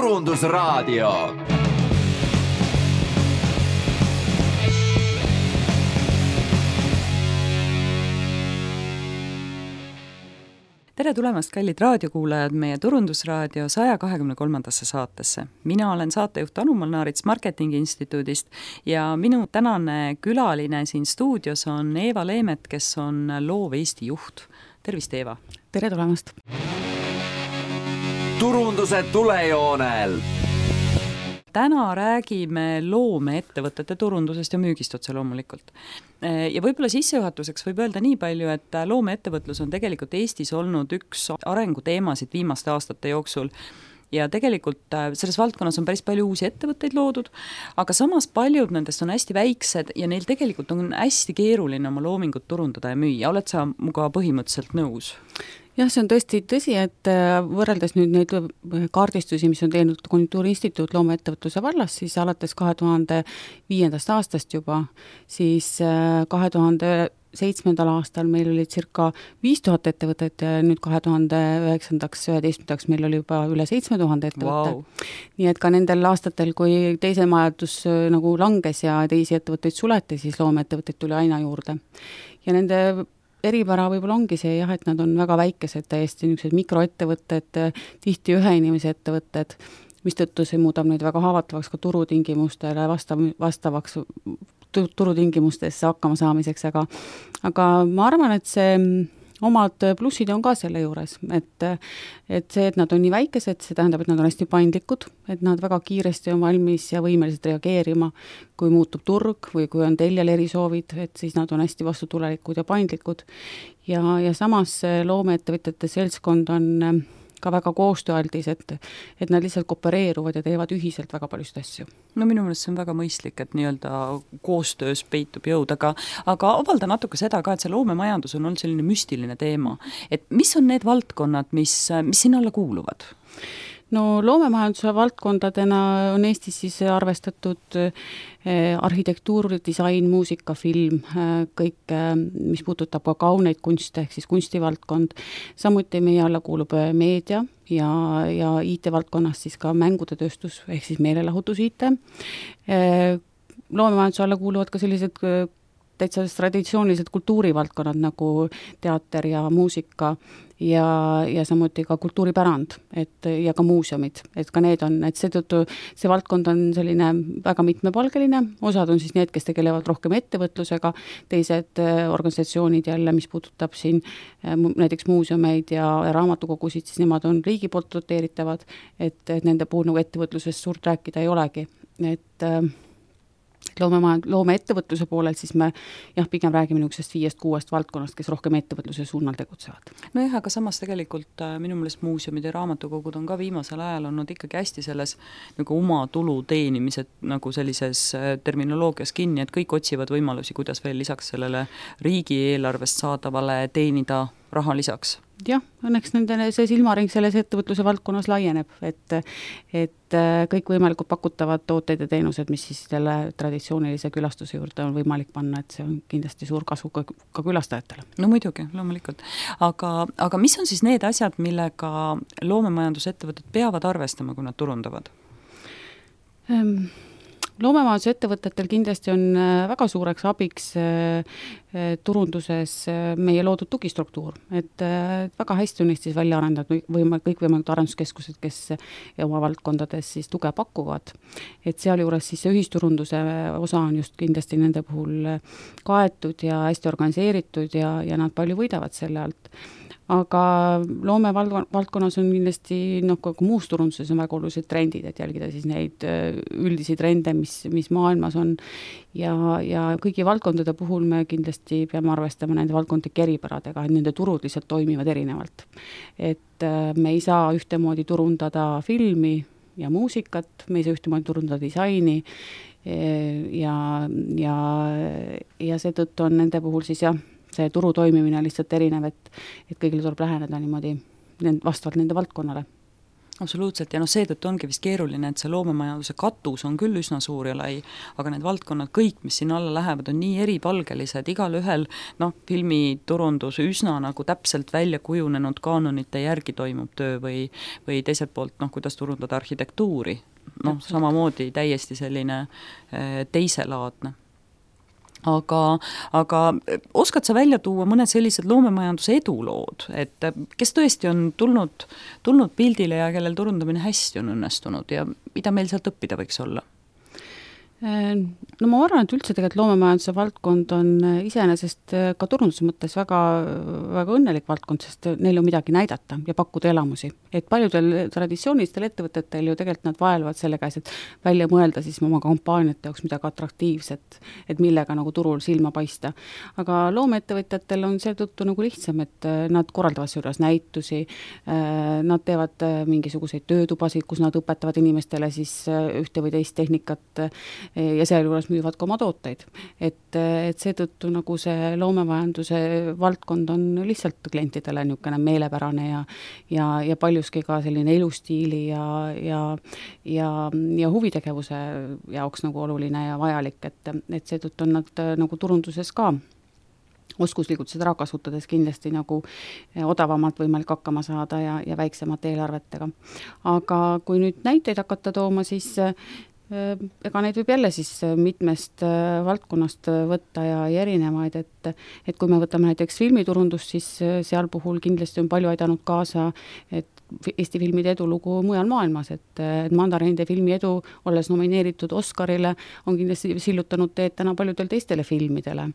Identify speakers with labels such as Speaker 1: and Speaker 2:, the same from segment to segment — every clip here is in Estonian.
Speaker 1: Turundusraadio.
Speaker 2: Tere tulemast, kallid raadiokuulajad, meie Turundusraadio 123. saatesse. Mina olen saatejuht Anu Molnaarits Marketingi Instituudist ja minu tänane külaline siin stuudios on Eeva Leemet, kes on Loov Eesti juht. Tervist, Eeva!
Speaker 3: Tere tulemast!
Speaker 1: Turunduse tulejoonel!
Speaker 2: Täna räägime loomeettevõtete turundusest ja müügist otse loomulikult. Ja võib-olla sissejuhatuseks võib öelda nii palju, et loomeettevõtlus on tegelikult Eestis olnud üks arenguteemasid viimaste aastate jooksul. Ja tegelikult selles valdkonnas on päris palju uusi ettevõtteid loodud, aga samas paljud nendest on hästi väiksed ja neil tegelikult on hästi keeruline oma loomingut turundada ja müüa. Oled sa muga põhimõtteliselt nõus?
Speaker 3: Jah, see on tõesti tõsi, et võrreldes nüüd neid kaardistusi, mis on teinud Konjunktuuriinstituut loomeettevõtluse vallas, siis alates 2005. aastast juba, siis 2007. aastal meil oli circa 5000 ettevõtet ja nüüd 2009-11 meil oli juba üle 7000 ettevõtte.
Speaker 2: Wow.
Speaker 3: Nii et ka nendel aastatel, kui teise majandus nagu langes ja teisi ettevõtteid suleti, siis loomeettevõtteid tuli aina juurde. Ja nende eripära võib-olla ongi see, jah, et nad on väga väikesed, täiesti niisugused mikroettevõtted, tihti ühe inimese ettevõtted, mistõttu see muudab neid väga haavatavaks ka turutingimustele vastavaks turutingimustesse hakkama saamiseks, aga ma arvan, et see omad plussid on ka selle juures, et see, et nad on nii väikesed, see tähendab, et nad on hästi paindlikud, et nad väga kiiresti on valmis ja võimelised reageerima, kui muutub turg või kui on teljel erisoovid, et siis nad on hästi vastutulelikud ja paindlikud. Ja samas loomeettevõtjate seltskond on ka väga koostööaldis, et nad lihtsalt koopereeruvad ja teevad ühiselt väga paljusid asju.
Speaker 2: No minu meelest see on väga mõistlik, et nii-öelda koostöös peitub jõud, aga avalda natuke seda ka, et see loomemajandus on olnud selline müstiline teema. Et mis on need valdkonnad, mis sinna alla kuuluvad?
Speaker 3: No loomemajanduse valdkondadena on Eestis siis arvestatud arhitektuur, disain, muusika, film, kõik, mis puudutab ka kauneid kunste, ehk siis kunstivaldkond. Samuti meie alla kuulub meedia ja IT-valdkonnas siis ka mängude tööstus, ehk siis meelelahutus IT. Loomemajanduse alla kuuluvad ka sellised täitsa traditsioonilised kultuurivaldkonnad nagu teater ja muusika ja samuti ka kultuuripärand ja ka muuseumid, et ka need on, et seetõttu see valdkond on selline väga mitmepalgeline, osad on siis need, kes tegelevad rohkem ettevõtlusega, teised organisatsioonid jälle, mis puudutab siin näiteks muuseumeid ja raamatukogusid, siis nemad on riigi poolt doteeritavad, et nende puhul nagu ettevõtlusest suurt rääkida ei olegi, et loomeettevõtluse poolel, siis me pigem räägime niisugusest 5-6 valdkonnast, kes rohkem ettevõtluse suunal tegutsevad.
Speaker 2: No jah, aga samas tegelikult minu meelest muuseumid ja raamatukogud on ka viimasel ajal olnud ikkagi hästi selles nagu oma tulu teenimised nagu sellises terminoloogias kinni, et kõik otsivad võimalusi, kuidas veel lisaks sellele riigieelarvest saadavale teenida raha lisaks.
Speaker 3: Jah, õnneks see silmaring selles ettevõtluse valdkonnas laieneb, et kõik võimalikud pakutavad tooteid ja teenused, mis siis selle traditsioonilise külastuse juurde on võimalik panna, et see on kindlasti suur kasu ka külastajatele.
Speaker 2: No muidugi, loomulikult. Aga mis on siis need asjad, millega loomemajandusettevõtted peavad arvestama, kui nad turundavad?
Speaker 3: Loomemajandusettevõtetel kindlasti on väga suureks abiks turunduses meie loodud tugistruktuur, et väga hästi on Eestis välja arendatud kõikvõimalikud arenduskeskused, kes oma valdkondades siis tuge pakuvad. Et sealjuures siis see ühisturunduse osa on just kindlasti nende puhul kaetud ja hästi organiseeritud ja nad palju võidavad selle alt. Aga loomevaldkonnas on kindlasti, kui muus turunduses on väga olulised trendid, et jälgida siis neid üldisi trende, mis maailmas on ja kõigi valdkondade puhul me kindlasti peame arvestama nende valdkondlike eripäradega, et nende turud lihtsalt toimivad erinevalt. Et me ei saa ühtemoodi turundada filmi ja muusikat, me ei saa ühtemoodi turundada disaini ja seetõttu on nende puhul siis see turu toimimine lihtsalt erinev, et kõigile tuleb läheneda niimoodi vastavalt nende valdkonnale.
Speaker 2: Absoluutselt, ja seetõttu ongi vist keeruline, et see loomemajanduse katus on küll üsna suur ja lai, aga need valdkonnad kõik, mis sinna alla lähevad, on nii eripalgelised, igal ühel filmiturundus üsna nagu täpselt välja kujunenud kaanonite järgi toimub töö või teiselt poolt, kuidas turundada arhitektuuri, samamoodi täiesti selline teiselaadne. Aga oskad sa välja tuua mõned sellised loomemajanduse edulood, et kes tõesti on tulnud pildile ja kellel turundamine hästi on õnnestunud ja mida meil sealt õppida võiks olla?
Speaker 3: No ma arvan, et üldse tegelikult loomemajanduse valdkond on iseenesest ka turunduse mõttes väga, väga õnnelik valdkond, sest neil on midagi näidata ja pakkuda elamusi. Et paljudel traditsioonilistel ettevõtetel ju tegelikult nad vaelvad selle käes, et välja mõelda siis oma kampaaniate jaoks midagi atraktiivset, et millega nagu turul silma paista. Aga loomeettevõtjatel on seetõttu nagu lihtsam, et nad korraldavad juures näitusi, nad teevad mingisuguseid töötubasid, kus nad õpetavad inimestele siis ühte või teist tehnikat ja sealjuures müüvad ka oma tooteid. Et seetõttu nagu see loomemajanduse valdkond on lihtsalt klientidele niisugune meelepärane ja paljuski ka selline elustiili ja huvitegevuse jaoks nagu oluline ja vajalik, et seetõttu on nad nagu turunduses ka oskuslikult seda ära kasutades kindlasti nagu odavamalt võimalik hakkama saada ja väiksemate eelarvetega. Aga kui nüüd näiteid hakata tooma, siis ega neid võib jälle siis mitmest valdkonnast võtta ja erinevaid, et kui me võtame näiteks filmiturundust, siis seal puhul kindlasti on palju aidanud kaasa, et Eesti filmide edulugu mujal maailmas, et Mandarinide filmi edu, olles nomineeritud Oscarile, on kindlasti sillutanud teed täna paljudel teistele filmidele,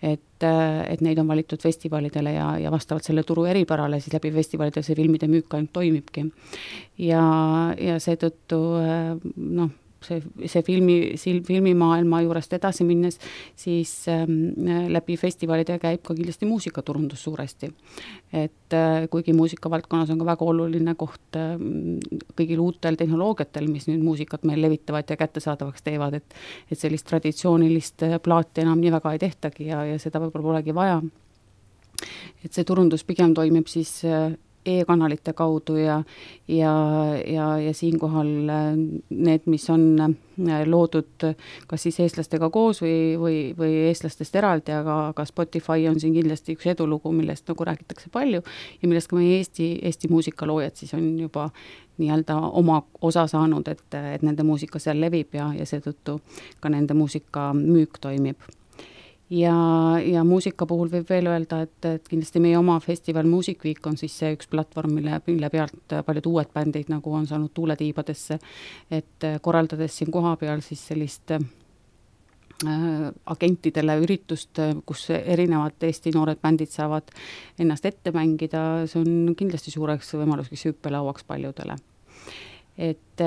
Speaker 3: et neid on valitud festivalidele ja vastavalt selle turu eripärale, siis läbi festivalide see filmide müük ainult toimibki. Ja seetõttu see filmimaailma juurest edasi minnes, siis läbi festivalide käib ka kindlasti muusikaturundus suuresti. Et kuigi muusikavaldkonnas on ka väga oluline koht kõigil uutel tehnoloogiatel, mis nüüd muusikat meil levitavad ja kättesaadavaks teevad, et sellist traditsioonilist plaati enam nii väga ei tehtagi ja seda võib-olla polegi vaja. Et see turundus pigem toimib siis e-kanalite kaudu ja siinkohal need, mis on loodud kas siis eestlastega koos või eestlastest eraldi, aga Spotify on siin kindlasti üks edulugu, millest nagu räägitakse palju ja millest ka meie Eesti muusikaloojad siis on juba nii-öelda oma osa saanud, et nende muusika seal levib ja seetõttu ka nende muusika müük toimib. Ja muusika puhul võib veel öelda, et kindlasti meie oma festival Music Week on siis see üks platvorm, mille pealt paljud uued bändid nagu on saanud tuuletiibadesse, et korraldades siin koha peal siis sellist agentidele üritust, kus erinevad Eesti noored bändid saavad ennast ette mängida, see on kindlasti suureks võimaluseks hüppelauaks paljudele. Et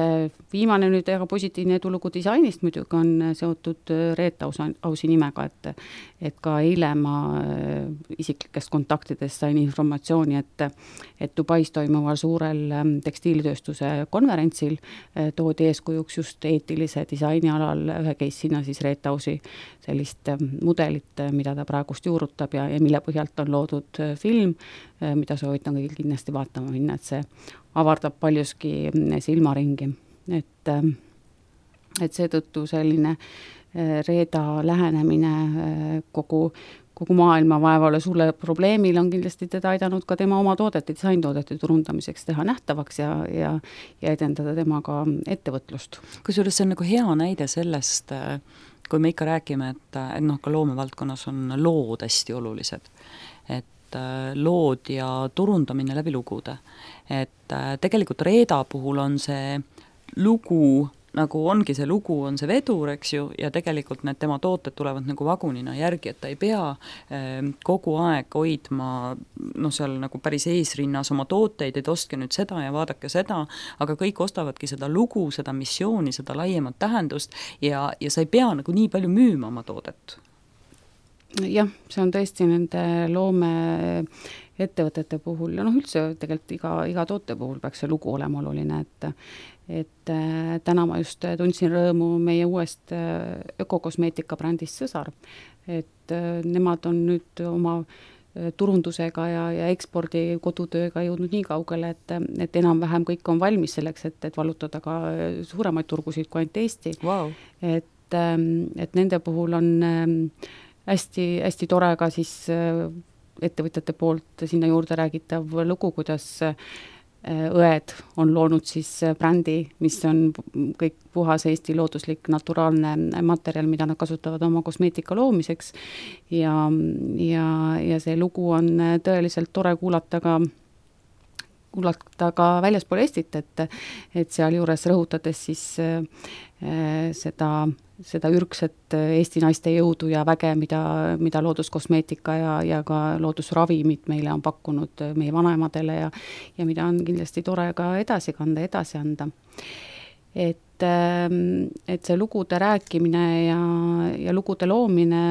Speaker 3: viimane nüüd väga positiivne edulugu disainist muidugi on seotud Reet Ausi nimega, et ka eile ma isiklikest kontaktidest sain informatsiooni, et Dubais toimuval suurel tekstiilitööstuse konverentsil toodi eeskujuks just eetilise disaini alal ühe case sinna siis Reet Ausi sellist mudelit, mida ta praegust juurutab ja mille põhjalt on loodud film, mida soovitan kõigil kindlasti vaatama minna, et see avardab paljuski silmaringi. Et seetõttu selline Reeda lähenemine kogu maailma vaevale sulle probleemil on kindlasti teda aidanud ka tema oma toodete, disaintoodete turundamiseks teha nähtavaks ja edendada temaga ettevõtlust.
Speaker 2: Kusjuures see on nagu hea näide sellest, kui me ikka räägime, et ka loomevaldkonnas on lood hästi olulised, et lood ja turundamine läbi lugude. Et tegelikult Reeda puhul on see lugu, nagu ongi see lugu, on see vedur, eks ju, ja tegelikult need tema tooted tulevad nagu vagunina järgi, et ta ei pea kogu aeg hoidma seal nagu päris eesrinnas oma tooteid, et ostke nüüd seda ja vaadake seda, aga kõik ostavadki seda lugu, seda missiooni, seda laiemat tähendust ja sa ei pea nagu nii palju müüma oma toodet.
Speaker 3: Jah, see on tõesti nende loome ettevõtete puhul ja üldse tegelikult iga toote puhul peaks see lugu olema oluline, et täna ma just tundsin rõõmu meie uuest ökokosmeetika brändist Sõsar, et nemad on nüüd oma turundusega ja ekspordi kodutööga jõudnud nii kaugele, et enam-vähem kõik on valmis selleks, et valutada ka suuremaid turgusid kui ainult Eesti.
Speaker 2: Wow.
Speaker 3: Et nende puhul on hästi, hästi tore ka siis ettevõtjate poolt sinna juurde räägitav lugu, kuidas õed on loonud siis brändi, mis on kõik puhas Eesti looduslik naturaalne materjal, mida nad kasutavad oma kosmeetika loomiseks ja see lugu on tõeliselt tore kuulata ka väljaspool Eestit, et sealjuures rõhutades siis seda ürgset Eesti naiste jõudu ja väge, mida looduskosmeetika ja ka loodusravimid meile on pakkunud meie vanemadele ja mida on kindlasti tore ka edasi kanda, edasi anda. Et see lugude rääkimine ja lugude loomine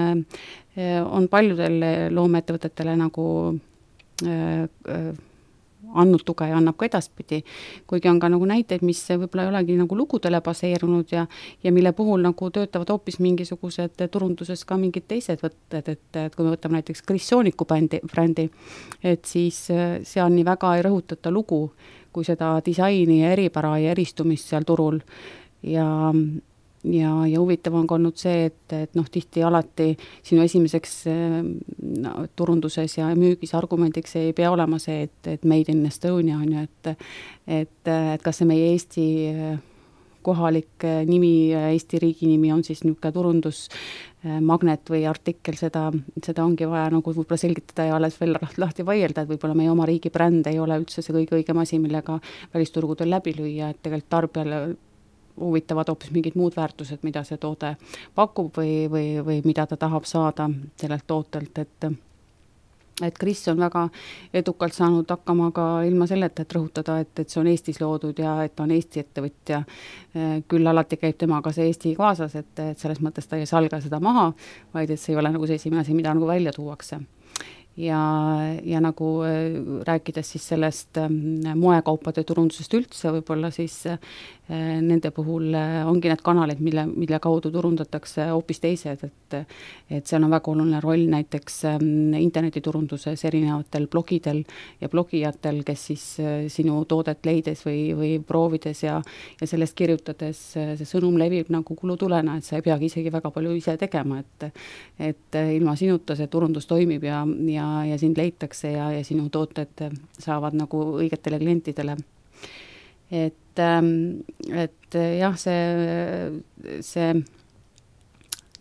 Speaker 3: on paljudele loomeettevõtetele nagu andnud tuge ja annab ka edaspidi, kuigi on ka nagu näiteid, mis võib-olla ei olegi nagu lugudele baseerunud ja mille puhul nagu töötavad hoopis mingisugused turunduses ka mingid teised võtted, et kui me võtame näiteks Kris Sooniku brändi, et siis seal nii väga ei rõhutata lugu, kui seda disaini ja eripära ja eristumist seal turul ja huvitav on ka olnud see, et tihti alati sinu esimeseks turunduses ja müügis argumendiks ei pea olema see, et made in Estonia on ju, et kas see meie Eesti kohalik nimi, Eesti riigi nimi on siis niisugune turundusmagnet või artikkel, seda ongi vaja nagu võib-olla selgitada ja alles veel lahti vaielda, et võib-olla meie oma riigi bränd ei ole üldse see kõige õigem asi, millega välisturgudel läbi lüüa, et tegelikult tarbijale huvitavad hoopis mingid muud väärtused, mida see toode pakub või mida ta tahab saada sellelt tootelt, et Kris on väga edukalt saanud hakkama ka ilma selleta, et rõhutada, et see on Eestis loodud ja et on Eesti ettevõtja. Küll alati käib temaga see Eesti kaasas, et selles mõttes ta ei salga seda maha, vaid et see ei ole nagu see esimene asi, mida nagu välja tuuakse. Ja nagu rääkides siis sellest moekaupade turundusest üldse, võib-olla siis nende puhul ongi need kanalid, mille kaudu turundatakse hoopis teised, et seal on väga oluline roll näiteks internetiturunduses erinevatel blogidel ja blogijatel, kes siis sinu toodet leides või proovides ja sellest kirjutades see sõnum levib nagu kulutulena, et sa ei peagi isegi väga palju ise tegema, et ilma sinuta see turundus toimib ja sind leitakse ja sinu tooted saavad nagu õigetele klientidele. Et jah, see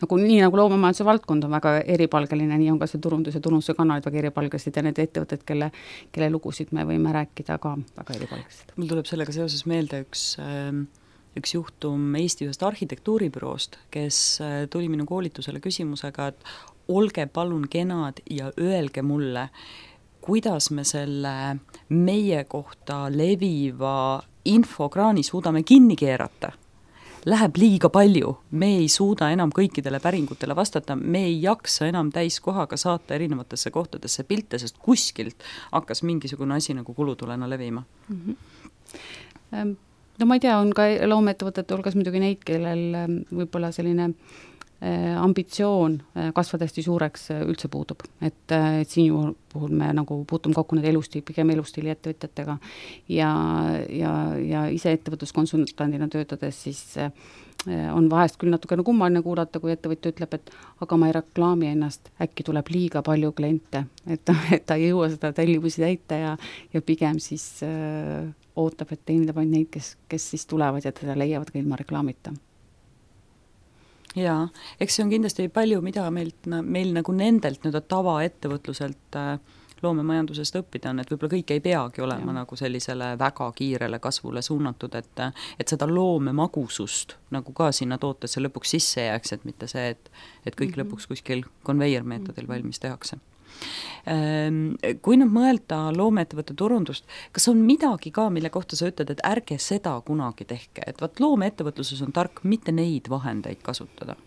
Speaker 3: nagu nii nagu loomemajanduse valdkond on väga eripalgeline, nii on ka see turundus ja turunduse kanalid väga eripalgelised ja need ettevõtted, kelle lugusid me võime rääkida ka väga eripalgelised.
Speaker 2: Mul tuleb sellega seoses meelde üks juhtum Eesti ühest arhitektuuribüroost, kes tuli minu koolitusele küsimusega, et olge palun kenad ja öelge mulle, kuidas me selle meie kohta leviva infokraani suudame kinni keerata. Läheb liiga palju, me ei suuda enam kõikidele päringutele vastata, me ei jaksa enam täiskohaga saata erinevatesse kohtadesse pilte, sest kuskilt hakkas mingisugune asi nagu kulutulena levima.
Speaker 3: No ma ei tea, on ka loomeettevõtete hulgas muidugi neid, kellel võib-olla selline ambitsioon kasvada hästi suureks üldse puudub. Et siin puhul me nagu puutume kokku need pigem elustiili ettevõtjatega ja ise ettevõtluskonsultandina töötades siis on vahest küll natukene kummaline kuulata, kui ettevõtja ütleb, et aga ma ei reklaami ennast, äkki tuleb liiga palju kliente, et ta ei jõua seda tellimusi täita ja pigem siis ootab, et teenindab ainult neid, kes siis tulevad ja teda leiavad ka ilma reklaamita.
Speaker 2: Jaa, eks see on kindlasti palju, mida meil nagu nendelt tavaettevõtluselt loomemajandusest õppida on, et võib-olla kõik ei peagi olema nagu sellisele väga kiirele kasvule suunatud, et seda loomemagusust nagu ka sinna tootesse lõpuks sisse jääks, et mitte see, et kõik lõpuks kuskil konveiermeetodil valmis tehakse. Kui nüüd mõelda loomeettevõtte turundust, kas on midagi ka, mille kohta sa ütled, et ärge seda kunagi tehke, et vaat loomeettevõtluses on tark mitte neid vahendeid kasutada?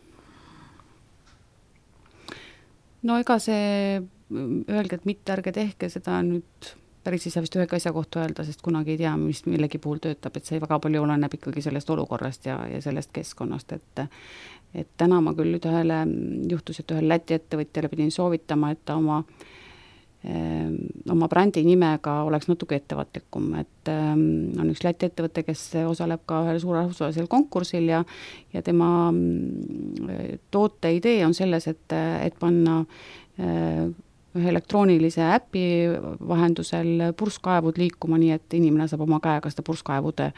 Speaker 3: No ega see öelge, et mitte ärge tehke, seda nüüd päris ei saa vist ühega asja kohta öelda, sest kunagi ei tea, mis millegi puhul töötab, et see väga palju oleneb ikkagi sellest olukorrast ja sellest keskkonnast, et täna ma küll juhtus, et ühel Läti ettevõtjale pidin soovitama, et ta oma oma brändi nimega oleks natuke ettevaatlikum, et on üks Läti ettevõte, kes osaleb ka ühel suurel rahvusvahelisel konkursil ja tema toote idee on selles, et panna ühe elektroonilise äpi vahendusel purskkaevud liikuma nii, et inimene saab oma käega seda purskkaevude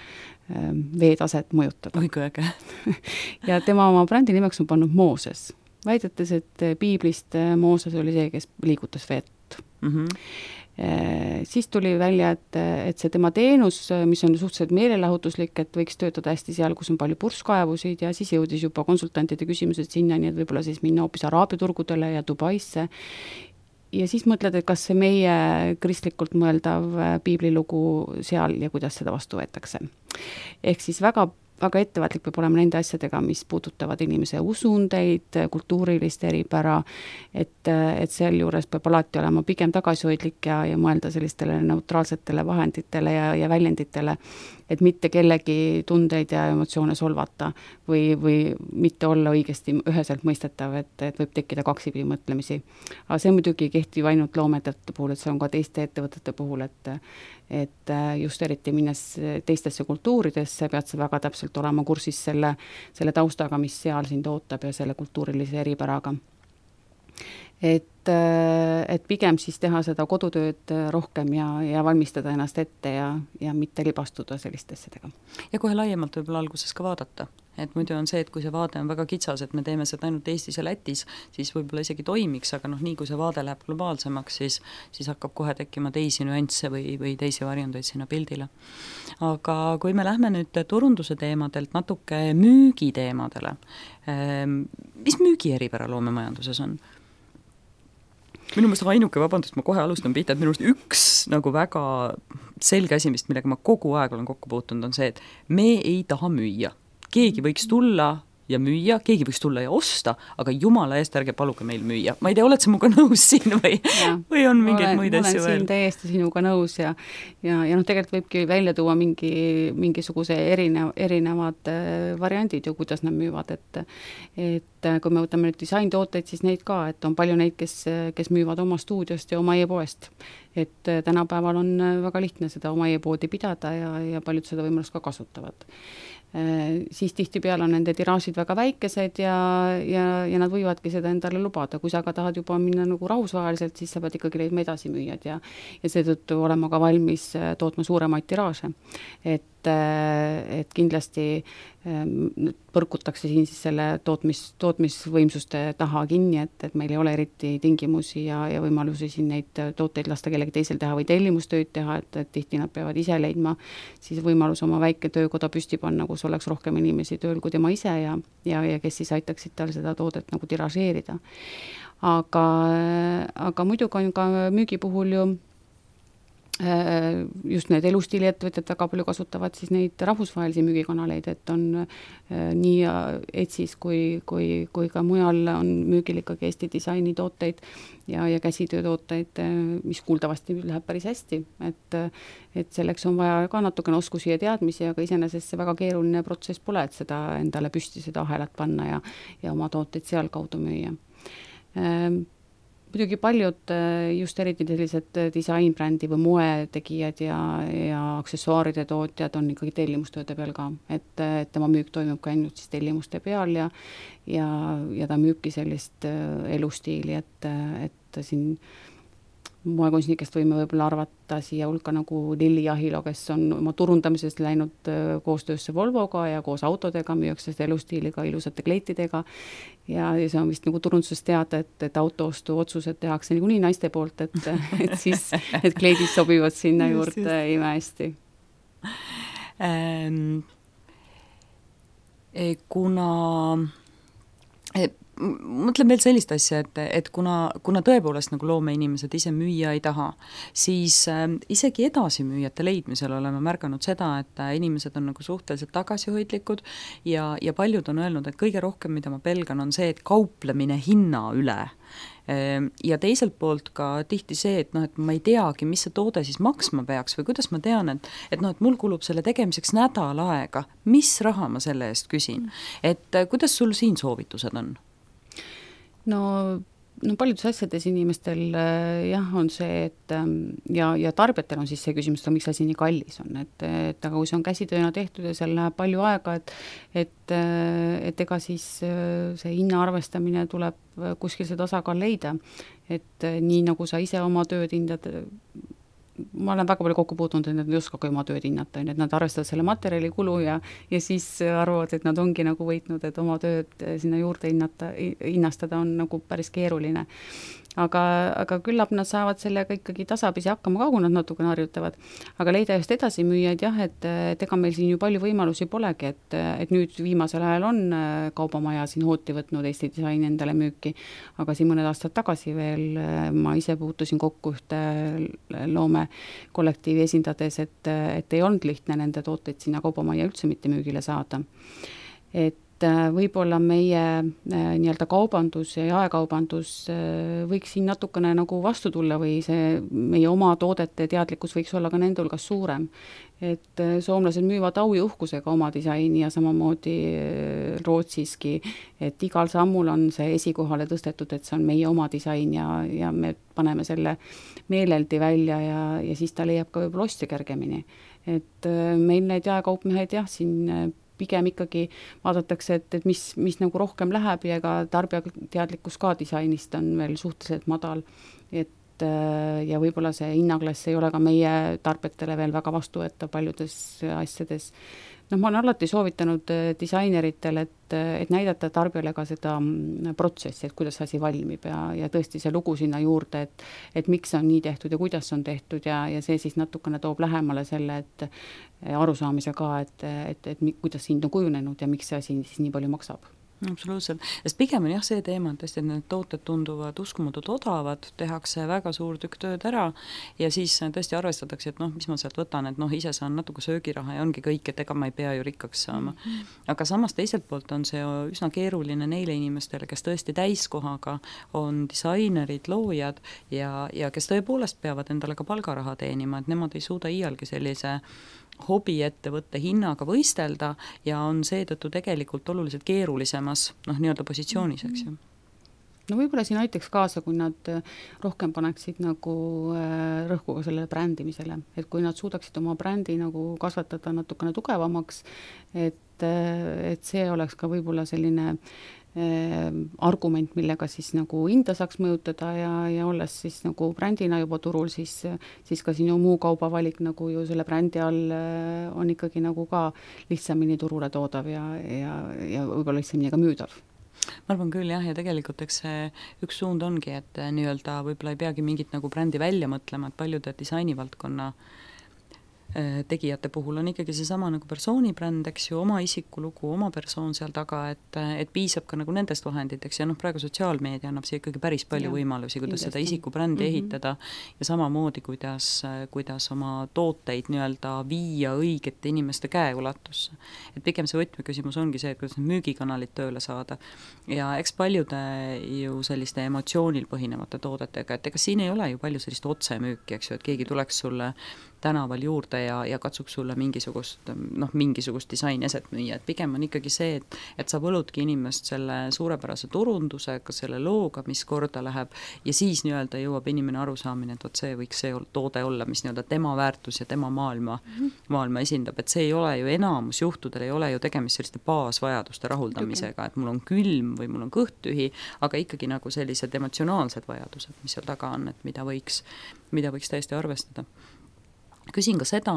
Speaker 3: veetaset mõjutada.
Speaker 2: Oi, kui äge.
Speaker 3: Ja tema oma brändi nimeks on pannud Mooses, väidetes, et piiblist Mooses oli see, kes liigutas vett. Siis tuli välja, et see tema teenus, mis on suhteliselt meelelahutuslik, et võiks töötada hästi seal, kus on palju purskkaevusid ja siis jõudis juba konsultantide küsimused sinna, nii et võib-olla siis minna hoopis Araabia turgudele ja Dubaisse. Ja siis mõtled, et kas see meie kristlikult mõeldav piiblilugu seal ja kuidas seda vastu võetakse. Ehk siis väga ettevaatlik peab olema nende asjadega, mis puudutavad inimese usundeid, kultuurilist eripära, et sel juures peab alati olema pigem tagasihoidlik ja mõelda sellistele neutraalsetele vahenditele ja väljenditele, et mitte kellegi tundeid ja emotsioone solvata või mitte olla õigesti üheselt mõistetav, et võib tekkida kaksipidi mõtlemisi. Aga see muidugi kehtib ainult loomeettevõtete puhul, et see on ka teiste ettevõtete puhul, et just eriti minnes teistesse kultuuridesse, pead sa väga täpselt olema kursis selle taustaga, mis seal sind ootab ja selle kultuurilise eripäraga. Et pigem siis teha seda kodutööd rohkem ja valmistada ennast ette ja mitte libastuda selliste asjadega.
Speaker 2: Ja kohe laiemalt võib-olla alguses ka vaadata. Et muidu on see, et kui see vaade on väga kitsas, et me teeme seda ainult Eestis ja Lätis, siis võib-olla isegi toimiks, aga nii kui see vaade läheb globaalsemaks, siis hakkab kohe tekkima teisi nüansse või teisi varjundeid sinna pildile. Aga kui me lähme nüüd turunduse teemadelt natuke müügiteemadele, mis müügi eripära loomemajanduses on? Minu mõelest ainuke, vabandust, ma kohe alustan pihta, et minu mõelest üks nagu väga selge asi, millega ma kogu aeg olen kokku puutunud, on see, et me ei taha müüa. Keegi võiks tulla ja müüa, keegi võiks tulla ja osta, aga jumala eest ärge paluge meil müüa. Ma ei tea, oled sa minuga nõus siin või on mingeid muid asju veel?
Speaker 3: Olen siin täiesti sinuga nõus ja tegelikult võibki välja tuua mingisuguse erinevad variandid ju, kuidas nad müüvad, et kui me võtame nüüd disaintooteid, siis neid ka, et on palju neid, kes müüvad oma stuudiost ja oma e-poest. Et tänapäeval on väga lihtne seda oma e-poodi pidada ja paljud seda võimalust ka kasutavad. Siis tihtipeale on nende tiraažid väga väikesed ja nad võivadki seda endale lubada. Kui sa aga tahad juba minna nagu rahvusvaheliselt, siis sa pead ikkagi leidma edasi müüjad ja seetõttu olema ka valmis tootma suuremaid tiraaže. Et kindlasti põrkutakse siin siis selle tootmisvõimsuste taha kinni, et meil ei ole eriti tingimusi ja võimalusi siin neid tooteid lasta kellegi teisel teha või tellimustööd teha, et tihti nad peavad ise leidma siis võimalus oma väike töökoda püsti panna, kus oleks rohkem inimesi tööl kui tema ise ja kes siis aitaksid tal seda toodet nagu tiražeerida. Aga muidugi on ka müügi puhul ju just need elustiiliettevõtjad väga palju kasutavad siis neid rahvusvahelisi müügikanaleid, et on nii Etsis kui ka mujal on müügil ikkagi Eesti disaini tooteid ja käsitöötooteid, mis kuuldavasti läheb päris hästi, et selleks on vaja ka natukene oskusi ja teadmisi, aga iseenesest see väga keeruline protsess pole, et seda endale püsti seda ahelat panna ja oma tooteid seal kaudu müüa. Muidugi paljud just eriti sellised disainbrändi või moetegijad ja aksessuaaride tootjad on ikkagi tellimustööde peal ka, et tema müük toimub ka ainult siis tellimuste peal ja ta müübki sellist elustiili, et siin moekunstnikest võime võib-olla arvata siia hulka nagu Lilli Jahilo, kes on oma turundamisest läinud koostöösse Volvoga ja koos autodega müüakse seda elustiiliga, ilusate kleitidega ja see on vist nagu turundusest teada, et autoostu otsused tehakse nii naiste poolt, et siis need kleidid sobivad sinna juurde imehästi.
Speaker 2: Kuna mõtlen veel sellist asja, et kuna tõepoolest nagu loomeinimesed ise müüa ei taha, siis isegi edasimüüjate leidmisel oleme märganud seda, et inimesed on nagu suhteliselt tagasihoidlikud ja paljud on öelnud, et kõige rohkem, mida ma pelgan, on see, et kauplemine hinna üle. Ja teiselt poolt ka tihti see, et ma ei teagi, mis see toode siis maksma peaks või kuidas ma tean, et mul kulub selle tegemiseks nädal aega, mis raha ma selle eest küsin. Et kuidas sul siin soovitused on?
Speaker 3: No no paljudes asjades inimestel jah, on see, et ja tarbijatel on siis see küsimus, et miks asi nii kallis on, et aga kui see on käsitööna tehtud ja seal läheb palju aega, et ega siis see hinna arvestamine tuleb kuskil see tasakaal leida, et nii nagu sa ise oma tööd hindad, ma olen väga palju kokku puutunud, et nad ei oskagi oma tööd hinnata, et nad arvestavad selle materjali kulu ja siis arvavad, et nad ongi nagu võitnud, et oma tööd sinna juurde hinnastada on nagu päris keeruline. Aga küllap nad saavad sellega ikkagi tasapisi hakkama ka, kui nad natuke harjutavad. Aga leida just edasi müüjaid jah, et ega meil siin ju palju võimalusi polegi, et nüüd viimasel ajal on kaubamaja siin hooti võtnud Eesti Disaini endale müüki, aga siin mõned aastad tagasi veel ma ise puutusin kokku ühte loome kollektiivi esindades, et ei olnud lihtne nende tooteid sinna kaubamaja üldse mitte müügile saada. Et võib-olla meie nii-öelda kaubandus ja jaekaubandus võiks siin natukene nagu vastu tulla või see meie oma toodete teadlikkus võiks olla ka nende hulgas suurem. Et soomlased müüvad au ja uhkusega oma disaini ja samamoodi Rootsiski, et igal sammul on see esikohale tõstetud, et see on meie oma disain ja me paneme selle meeleldi välja ja siis ta leiab ka võib-olla ostja kergemini. Et meil need jaekaupmehed jah, siin pigem ikkagi vaadatakse, et mis nagu rohkem läheb ja ega tarbija teadlikkus ka disainist on veel suhteliselt madal, et ja võib-olla see hinnaklass ei ole ka meie tarbijatele veel väga vastuvõetav paljudes asjades. Ma olen alati soovitanud disaineritele, et näidata tarbijale ka seda protsessi, et kuidas asi valmib ja tõesti see lugu sinna juurde, et miks on nii tehtud ja kuidas on tehtud ja see siis natukene toob lähemale selle, et arusaamise ka, et kuidas hind on kujunenud ja miks see asi siis nii palju maksab.
Speaker 2: Absoluutselt, sest pigem on jah see teema, et tõesti need tooted tunduvad uskumatult odavad, tehakse väga suur tükk tööd ära ja siis tõesti arvestatakse, et mis ma sealt võtan, et ise saan natuke söögiraha ja ongi kõik, et ega ma ei pea ju rikkaks saama. Aga samas teiselt poolt on see üsna keeruline neile inimestele, kes tõesti täiskohaga on disainerid, loojad ja kes tõepoolest peavad endale ka palgaraha teenima, et nemad ei suuda iialgi sellise hobiettevõtte hinnaga võistelda ja on seetõttu tegelikult oluliselt keerulisemas nii-öelda positsioonis, eks ju.
Speaker 3: No võib-olla siin aitaks kaasa, kui nad rohkem paneksid nagu rõhku ka sellele brändimisele, et kui nad suudaksid oma brändi nagu kasvatada natukene tugevamaks, et see oleks ka võib-olla selline argument, millega siis nagu hinda saaks mõjutada ja olles siis nagu brändina juba turul, siis ka sinu muu kaubavalik nagu ju selle brändi all on ikkagi nagu ka lihtsamini turule toodav ja võib-olla lihtsamini ka müüdav.
Speaker 2: Ma arvan küll jah, ja tegelikult eks see üks suund ongi, et nii-öelda võib-olla ei peagi mingit nagu brändi välja mõtlema, et paljude disainivaldkonna tegijate puhul on ikkagi seesama nagu persoonibränd, eks ju, oma isikulugu, oma persoon seal taga, et piisab ka nagu nendest vahenditeks ja praegu sotsiaalmeedia annab siia ikkagi päris palju võimalusi, kuidas seda isikubrändi ehitada ja samamoodi, kuidas oma tooteid nii-öelda viia õigete inimeste käeulatusse. Et pigem see võtmeküsimus ongi see, et kuidas müügikanalid tööle saada ja eks paljude ju selliste emotsioonil põhinevate toodetega, et ega siin ei ole ju palju sellist otsemüüki, eks ju, et keegi tuleks sulle tänaval juurde ja katsuks sulle mingisugust disaineset müüa, et pigem on ikkagi see, et sa võludki inimest selle suurepärase turundusega, selle looga, mis korda läheb ja siis nii-öelda jõuab inimene arusaamine, et see võiks see toode olla, mis nii-öelda tema väärtus ja tema maailma esindab, et see ei ole ju enamus juhtudel ei ole ju tegemist selliste baasvajaduste rahuldamisega, et mul on külm või mul on kõht tühi, aga ikkagi nagu sellised emotsionaalsed vajadused, mis seal taga on, et mida võiks täiesti arvestada. Küsin ka seda,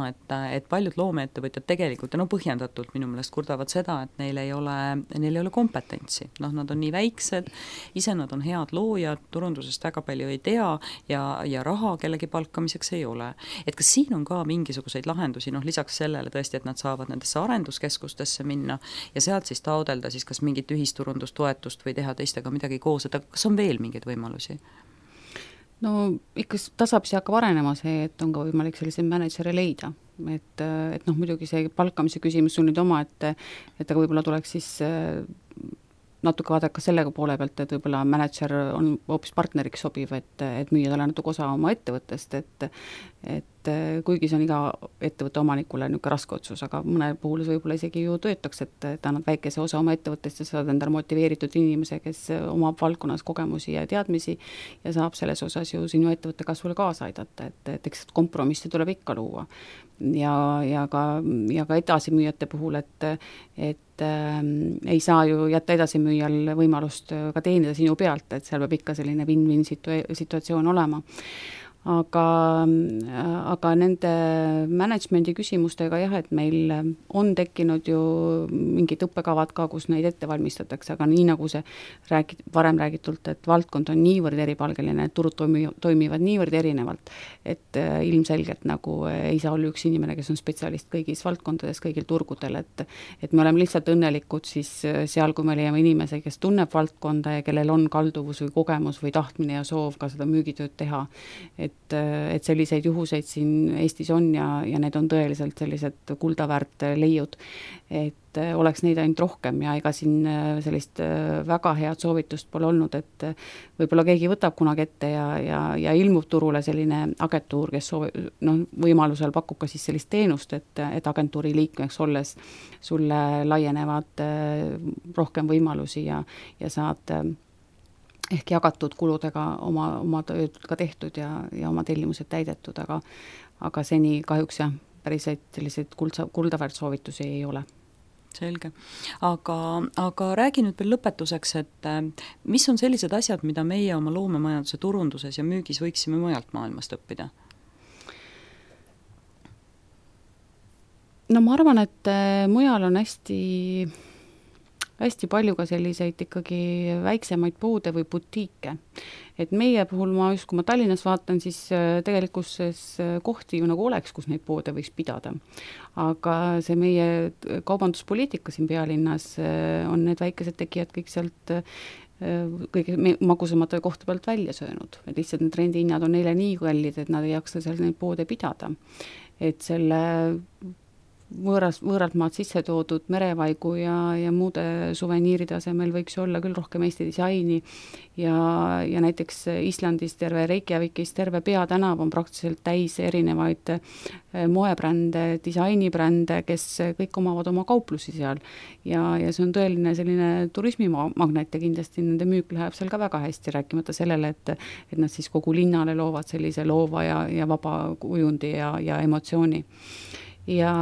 Speaker 2: et paljud loomeettevõtjad tegelikult ja põhjendatult minu meelest kurdavad seda, et neil ei ole kompetentsi. Nad on nii väiksed, ise nad on head loojad, turundusest väga palju ei tea ja raha kellegi palkamiseks ei ole. Et kas siin on ka mingisuguseid lahendusi, lisaks sellele tõesti, et nad saavad nendesse arenduskeskustesse minna ja sealt siis taodelda siis kas mingit ühisturundustoetust või teha teistega midagi koos, et kas on veel mingeid võimalusi?
Speaker 3: No ikka tasapisi hakkab arenema see, et on ka võimalik selliseid mänedžere leida, et muidugi see palkamise küsimus on nüüd oma, et võib-olla tuleks siis natuke vaadata sellega poole pealt, et võib-olla mänedžer on hoopis partneriks sobiv, et müüa talle natuke osa oma ettevõttest, et kuigi see on iga ettevõtte omanikule niisugune raske otsus, aga mõne puhul võib-olla isegi ju töötakse, et annad väikese osa oma ettevõttest ja saad endale motiveeritud inimese, kes omab valdkonnas kogemusi ja teadmisi ja saab selles osas ju sinu ettevõtte kasvule kaasa aidata, et eks kompromisse tuleb ikka luua. Ja ka edasimüüjate puhul, et ei saa ju jätta edasimüüjal võimalust ka teenida sinu pealt, et seal peab ikka selline win-win situatsioon olema. Aga nende managemendi küsimustega jah, et meil on tekkinud ju mingid õppekavad ka, kus neid ette valmistatakse, aga nii nagu see varem räägitult, et valdkond on niivõrd eripalgeline, et turud toimivad niivõrd erinevalt, et ilmselgelt nagu ei saa olla üks inimene, kes on spetsialist kõigis valdkondades, kõigil turgudel, et me oleme lihtsalt õnnelikud siis seal, kui me leiame inimese, kes tunneb valdkonda ja kellel on kalduvus või kogemus või tahtmine ja soov ka seda müügitööd teha. Et selliseid juhuseid siin Eestis on ja need on tõeliselt sellised kuldaväärt leiud, et oleks neid ainult rohkem ja ega siin sellist väga head soovitust pole olnud, et võib-olla keegi võtab kunagi ette ja ilmub turule selline agentuur, kes võimalusel pakub ka siis sellist teenust, et agentuuri liikmeks olles sulle laienevad rohkem võimalusi ja saad ehk jagatud kuludega oma tööd ka tehtud ja oma tellimused täidetud, aga seni kahjuks jah, päriselt selliseid kuldaväärt soovitusi ei ole.
Speaker 2: Selge. Aga räägi nüüd veel lõpetuseks, et mis on sellised asjad, mida meie oma loomemajanduse turunduses ja müügis võiksime mujalt maailmast õppida? No ma arvan, et mujal on hästi palju ka selliseid ikkagi väiksemaid poode või butiike. Et meie puhul kui ma Tallinnas vaatan, siis tegelikkuses kohti ju nagu oleks, kus neid poode võiks pidada. Aga see meie kaubanduspoliitika siin pealinnas on need väikesed tegijad kõik sealt kõige magusamate kohta pealt välja söönud. Et lihtsalt need rendihinnad on neile nii kallid, et nad ei jaksa seal neid poode pidada. Et selle võõralt maad sisse toodud merevaigu ja muude suveniiride asemel võiks olla küll rohkem Eesti disaini ja näiteks Islandis terve Reykjavikis terve peatänav on praktiliselt täis erinevaid moebrände, disainibrände, kes kõik omavad oma kauplusi seal ja see on tõeline selline turismimagnet ja kindlasti nende müük läheb seal ka väga hästi, rääkimata sellele, et nad siis kogu linnale loovad sellise loova ja vaba kujundi ja emotsiooni. Ja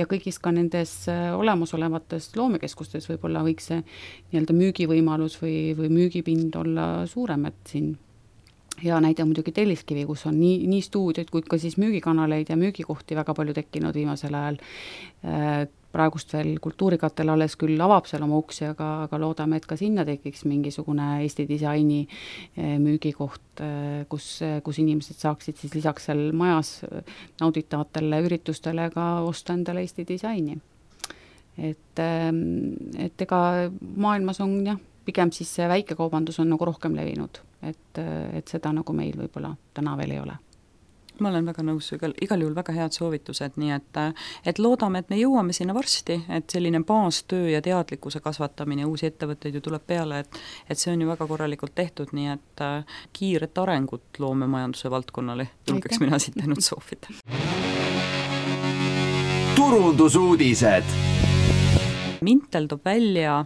Speaker 2: kõigis ka nendes olemasolevates loomekeskustes võib-olla võiks see nii-öelda müügivõimalus või müügipind olla suurem, et siin hea näide muidugi Telliskivi, kus on nii stuudioid kui ka siis müügikanaleid ja müügikohti väga palju tekkinud viimasel ajal. Praegust veel Kultuurikatel alles küll avab seal oma uksi, aga loodame, et ka sinna tekiks mingisugune Eesti disaini müügikoht, kus inimesed saaksid siis lisaks seal majas nauditavatele üritustele ka osta endale Eesti disaini. Et ega maailmas on jah, pigem siis see väikekaubandus on nagu rohkem levinud, et seda nagu meil võib-olla täna veel ei ole. Ma olen väga nõus, igal juhul väga head soovitused, nii et loodame, et me jõuame sinna varsti, et selline baastöö ja teadlikkuse kasvatamine, uusi ettevõtteid ju tuleb peale, et see on ju väga korralikult tehtud, nii et kiiret arengut loomemajanduse valdkonnale julgeks mina siit ainult soovida.
Speaker 1: Turundusuudised.
Speaker 2: Mintel toob välja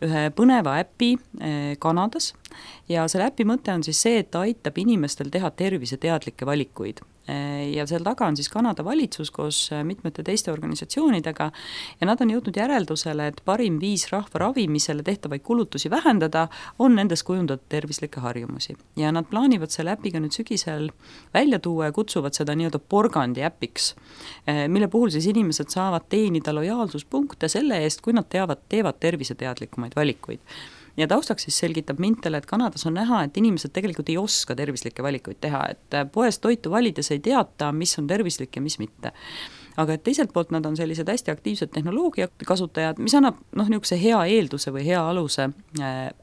Speaker 2: ühe põneva äpi Kanadas ja selle äpi mõte on siis see, et ta aitab inimestel teha terviseteadlikke valikuid. Ja seal taga on siis Kanada valitsus koos mitmete teiste organisatsioonidega ja nad on jõudnud järeldusele, et parim viis rahva ravimisele tehtavaid kulutusi vähendada on nendes kujundatud tervislikke harjumusi. Ja nad plaanivad selle äpiga nüüd sügisel välja tuua ja kutsuvad seda nii-öelda porgandi äpiks, mille puhul siis inimesed saavad teenida lojaalsuspunkte selle eest, kui nad teevad terviseteadlikumaid valikuid. Ja taustaks siis selgitab Mintel, et Kanadas on näha, et inimesed tegelikult ei oska tervislikke valikuid teha, et poest toitu valides ei teata, mis on tervislik ja mis mitte. Aga et teiselt poolt nad on sellised hästi aktiivsed tehnoloogia kasutajad, mis annab niisuguse hea eelduse või hea aluse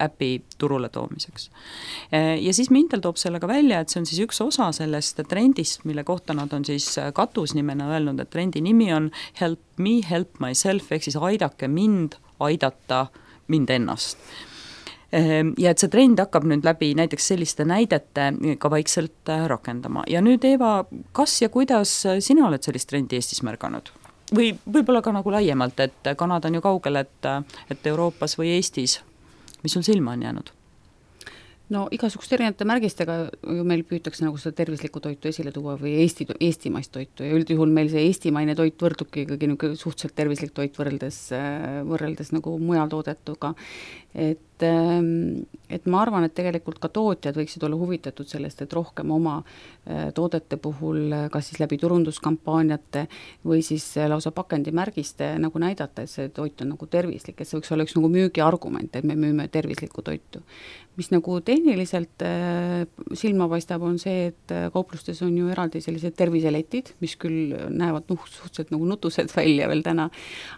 Speaker 2: äpi turule toomiseks. Ja siis Mintel toob sellega välja, et see on siis üks osa sellest trendist, mille kohta nad on siis katusnimena öelnud, et trendi nimi on Help Me, Help Myself, ehk siis aidake mind, aidata mind ennast. Ja et see trend hakkab nüüd läbi näiteks selliste näidete ka vaikselt rakendama. Ja nüüd, Eeva, kas ja kuidas sina oled sellist trendi Eestis märganud? Või võib-olla ka nagu laiemalt, et Kanada on ju kaugel, et Euroopas või Eestis, mis sul silma on jäänud?
Speaker 3: No igasuguste erinevate märgistega ju meil püütakse nagu seda tervislikku toitu esile tuua või eestimaist toitu ja üldjuhul meil see eestimaine toit võrdubki ikkagi suhteliselt tervislik toit võrreldes nagu mujal toodetuga. Et ma arvan, et tegelikult ka tootjad võiksid olla huvitatud sellest, et rohkem oma toodete puhul kas siis läbi turunduskampaaniate või siis lausa pakendimärgiste nagu näidata, et see toit on nagu tervislik, et see võiks olla üks nagu müügiargument, et me müüme tervislikku toitu. Mis nagu tehniliselt silma paistab, on see, et kauplustes on ju eraldi sellised terviseletid, mis küll näevad suhteliselt nagu nutused välja veel täna,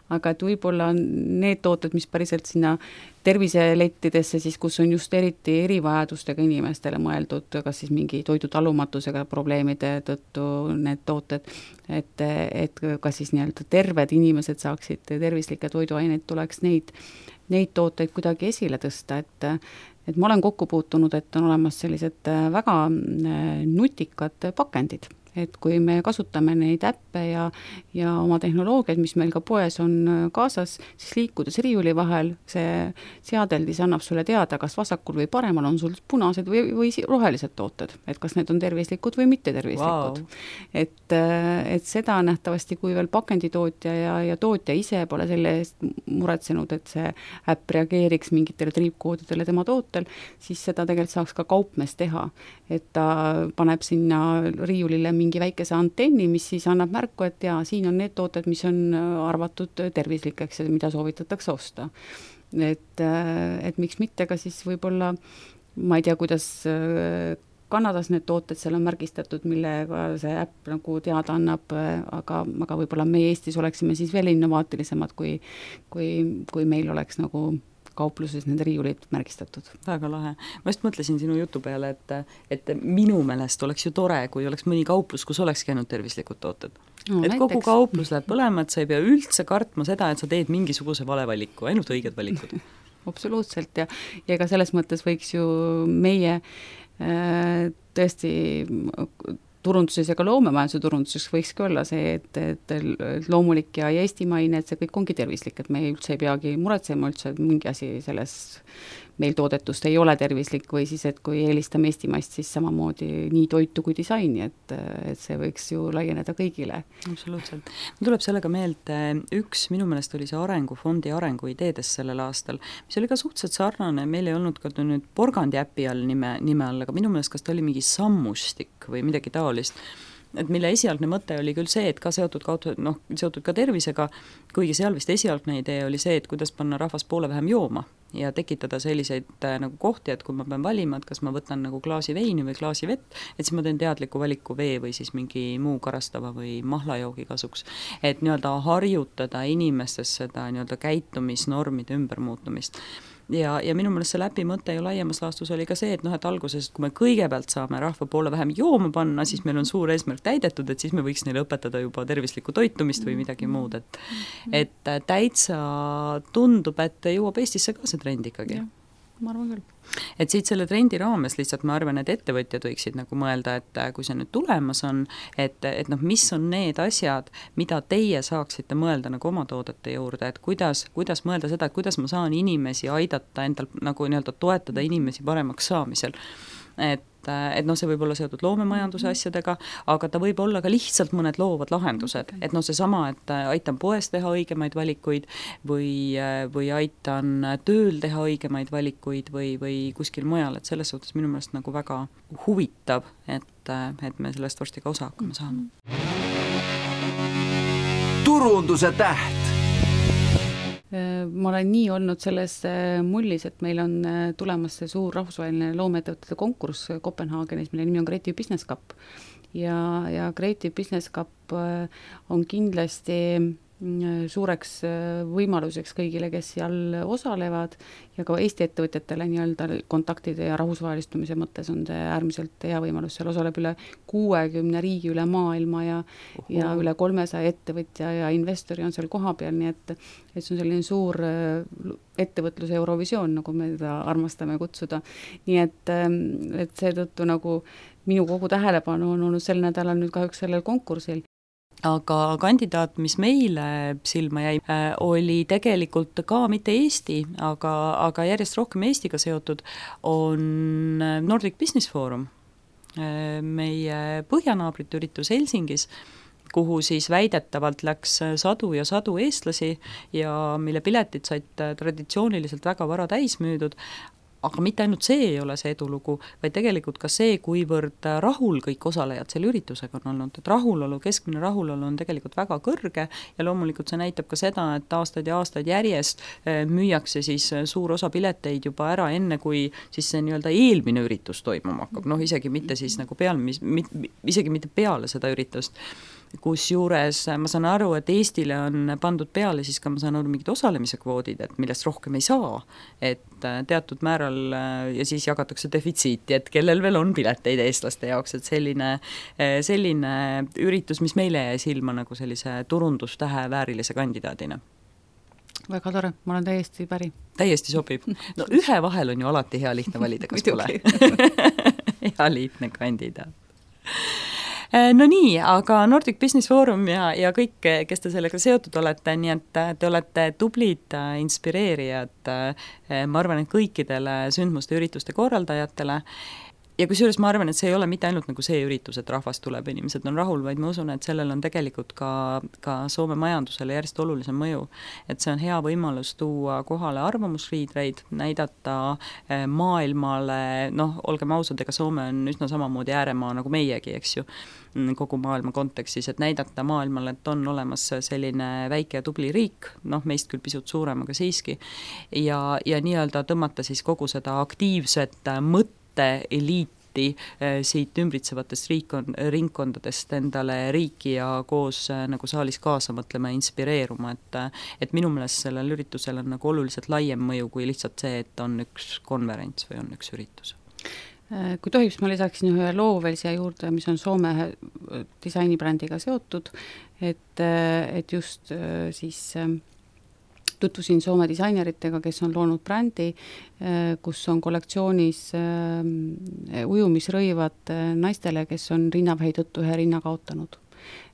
Speaker 3: aga et võib-olla need tooted, mis päriselt sinna terviselettidesse siis, kus on just eriti erivajadustega inimestele mõeldud, kas siis mingi toidutalumatusega probleemide tõttu need tooted, et kas siis nii-öelda terved inimesed saaksid tervislikke toiduaineid, tuleks neid tooteid kuidagi esile tõsta, et ma olen kokku puutunud, et on olemas sellised väga nutikad pakendid, et kui me kasutame neid äppe ja oma tehnoloogiaid, mis meil ka poes on kaasas, siis liikudes riiuli vahel, see seadeldis annab sulle teada, kas vasakul või paremal on sul punased või rohelised tooted, et kas need on tervislikud või mitte tervislikud. Wow. Et seda nähtavasti, kui veel pakenditootja ja tootja ise pole selle eest muretsenud, et see äpp reageeriks mingitele triipkoodidele tema tootel, siis seda tegelikult saaks ka kaupmees teha, et ta paneb sinna riiulile mingi väikese antenni, mis siis annab märku, et siin on need tooted, mis on arvatud tervislikeks ja mida soovitatakse osta. Et miks mitte ka siis võib-olla, ma ei tea, kuidas Kanadas need tooted seal on märgistatud, millega see äpp nagu teada annab, aga võib-olla meie Eestis oleksime siis veel innovaatilisemad, kui meil oleks nagu kaupluses nende riiulid märgistatud.
Speaker 2: Väga lahe. Ma just mõtlesin sinu jutu peale, et minu meelest oleks ju tore, kui oleks mõni kauplus, kus olekski ainult tervislikud tooted. No, et kogu kauplus läheb põlema, et sa ei pea üldse kartma seda, et sa teed mingisuguse vale valiku, ainult õiged valikud.
Speaker 3: Absoluutselt ja ka selles mõttes võiks ju meie tõesti turunduses ja ka loomemajanduse turunduses võikski olla see, et loomulik ja eestimaine, et see kõik ongi tervislik, et me üldse ei peagi muretsema üldse, et mingi asi selles meil toodetust ei ole tervislik või siis, et kui eelistame eestimaist, siis samamoodi nii toitu kui disaini, et see võiks ju laieneda kõigile.
Speaker 2: Absoluutselt. Mul tuleb sellega meelde, üks minu meelest oli see arengufondi arenguideedes sellel aastal, mis oli ka suhteliselt sarnane, meil ei olnud ka nüüd Porgandi äpi all nime all, aga minu meelest kas ta oli mingi sammustik või midagi taolist, et mille esialgne mõte oli küll see, et ka seotud ka tervisega, kuigi seal vist esialgne idee oli see, et kuidas panna rahvas poole vähem jooma ja tekitada selliseid nagu kohti, et kui ma pean valima, et kas ma võtan nagu klaasi veini või klaasi vett, et siis ma teen teadliku valiku vee või siis mingi muu karastava või mahlajoogi kasuks. Et nii-öelda harjutada inimestes seda nii-öelda käitumisnormide ümbermuutumist. Ja minu meelest see läbi mõte ju laiemas laastus oli ka see, et et alguses, kui me kõigepealt saame rahva poole vähem jooma panna, siis meil on suur eesmärk täidetud, et siis me võiks neile õpetada juba tervislikku toitumist või midagi muud, et täitsa tundub, et jõuab Eestisse ka see trend ikkagi.
Speaker 3: Ja, ma arvan küll.
Speaker 2: Et siit selle trendi raames lihtsalt ma arvan, et ettevõtjad võiksid nagu mõelda, et kui see nüüd tulemas on, et mis on need asjad, mida teie saaksite mõelda nagu oma toodete juurde, et kuidas mõelda seda, et kuidas ma saan inimesi aidata endal nagu nii-öelda toetada inimesi paremaks saamisel. Et see võib olla seotud loomemajanduse asjadega, aga ta võib olla ka lihtsalt mõned loovad lahendused, et seesama, et aitan poes teha õigemaid valikuid või aitan tööl teha õigemaid valikuid või kuskil mujal, et selles suhtes minu meelest nagu väga huvitav, et me sellest varsti ka osa hakkame saama.
Speaker 1: Turunduse täht.
Speaker 3: Ma olen nii olnud selles mullis, et meil on tulemas see suur rahvusvaheline loomeettevõtete konkurss Kopenhaagenis, mille nimi on Creative Business Cup. Ja Creative Business Cup on kindlasti suureks võimaluseks kõigile, kes seal osalevad ja ka Eesti ettevõtjatele nii-öelda kontaktide ja rahvusvahelistumise mõttes on see äärmiselt hea võimalus, seal osaleb üle 60 riigi üle maailma ja üle 300 ettevõtja ja investori on seal kohapeal, nii et see on selline suur ettevõtluse Eurovisioon, nagu me seda armastame kutsuda. Nii et seetõttu nagu minu kogu tähelepanu on olnud sel nädalal nüüd kahjuks sellel konkursil.
Speaker 2: Aga kandidaat, mis meile silma jäi, oli tegelikult ka mitte Eesti, aga järjest rohkem Eestiga seotud, on Nordic Business Forum, meie põhjanaabrite üritus Helsingis, kuhu siis väidetavalt läks sadu ja sadu eestlasi ja mille piletid said traditsiooniliselt väga vara täis müüdud, aga mitte ainult see ei ole see edulugu, vaid tegelikult ka see, kuivõrd rahul kõik osalejad selle üritusega on olnud, et rahulolu, keskmine rahulolu on tegelikult väga kõrge ja loomulikult see näitab ka seda, et aastaid ja aastaid järjest müüakse siis suur osa pileteid juba ära enne, kui siis see nii-öelda eelmine üritus toimuma hakkab, isegi mitte siis nagu isegi mitte peale seda üritust. Kusjuures ma saan aru, et Eestile on pandud peale siis ka, ma saan aru, mingid osalemise kvoodid, et millest rohkem ei saa, et teatud määral ja siis jagatakse defitsiiti, et kellel veel on pileteid eestlaste jaoks, et selline üritus, mis meile jäi silma nagu sellise turundustähe väärilise kandidaadina.
Speaker 3: Väga tore, ma olen täiesti päri.
Speaker 2: Täiesti sobib. Ühe vahel on ju alati hea lihtne valida, kas pole? Hea lihtne kandidaat. No nii, aga Nordic Business Forum ja kõik, kes te sellega seotud olete, nii et te olete tublid inspireerijad, ma arvan, et kõikidele sündmuste ürituste korraldajatele. Ja kusjuures ma arvan, et see ei ole mitte ainult nagu see üritus, et rahvast tuleb, inimesed on rahul, vaid ma usun, et sellel on tegelikult ka Soome majandusele järjest olulisem mõju. Et see on hea võimalus tuua kohale arvamusliidreid, näidata maailmale, olgem ausad, ega Soome on üsna samamoodi ääremaa nagu meiegi, eks ju, kogu maailma kontekstis, et näidata maailmale, et on olemas selline väike ja tubli riik, meist küll pisut suurem, aga siiski, ja nii-öelda tõmmata siis kogu seda aktiivset eliiti siit ümbritsevatest ringkondadest endale riiki ja koos nagu saalis kaasa mõtlema ja inspireeruma, et minu meelest sellel üritusel on nagu oluliselt laiem mõju kui lihtsalt see, et on üks konverents või on üks üritus.
Speaker 3: Kui tohib, ma lisaksin ühe loo veel siia juurde, mis on Soome disainibrändiga seotud, et just siis tutvusin Soome disaineritega, kes on loonud brändi, kus on kollektsioonis ujumisrõivad naistele, kes on rinnavähi tõttu ühe rinna kaotanud.